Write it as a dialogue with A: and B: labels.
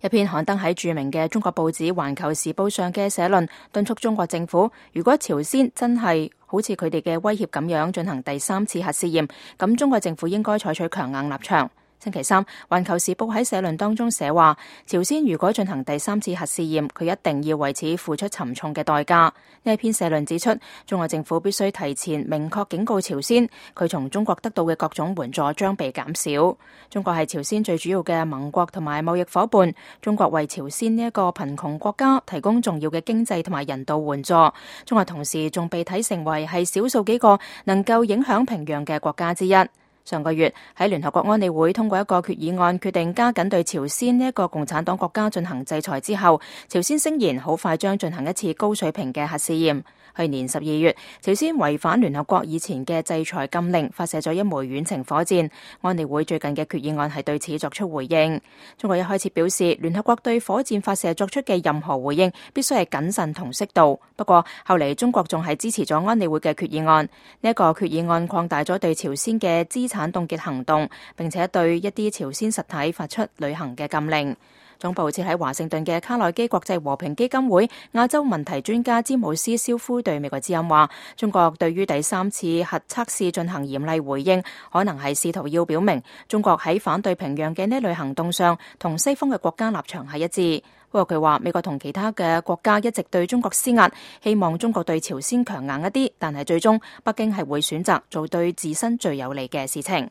A: 一篇刊登喺著名嘅中國報紙《環球時報》上嘅社論，敦促中國政府，如果朝鮮真係好似佢哋嘅威脅咁樣進行第3次核試驗，咁中國政府應該採取強硬立場。星期三，《環球時報》喺社論當中寫話，朝鮮如果進行第3次核試驗，佢一定要為此付出沉重嘅代價。呢一篇社論指出，中國政府必須提前明確警告朝鮮，佢從中國得到嘅各種援助將被減少。中國係朝鮮最主要嘅盟國同埋貿易夥伴，中國為朝鮮呢一個貧窮國家提供重要嘅經濟同埋人道援助。中國同時仲被睇成為係少數幾個能夠影響平壤嘅國家之一。上個月喺聯合國安理會通過一個決議案，決定加緊對朝鮮呢一個共產黨國家進行制裁之後，朝鮮聲言好快將進行一次高水平嘅核試驗。去年12月，朝鮮違反聯合國以前嘅制裁禁令，發射咗一枚遠程火箭。安理會最近嘅決議案係對此作出回應。中國一開始表示，聯合國對火箭發射作出嘅任何回應必須係謹慎同適度。不過後嚟中國仲係支持咗安理會嘅決議案。呢一個決議案擴大咗對朝鮮嘅資產凍結行動，並且對一啲朝鮮實體發出旅行嘅禁令。總部設喺華盛頓嘅卡內基國際和平基金會亞洲問題專家詹姆斯肖夫對美國之音話，中國對於第3次核測試進行嚴厲回應，可能係試圖要表明中國喺反對平壤嘅呢類行動上同西方嘅國家立場係一致。不過佢話，美國同其他嘅國家一直對中國施壓，希望中國對朝鮮強硬一啲，但係最終北京係會選擇做對自身最有利嘅事情。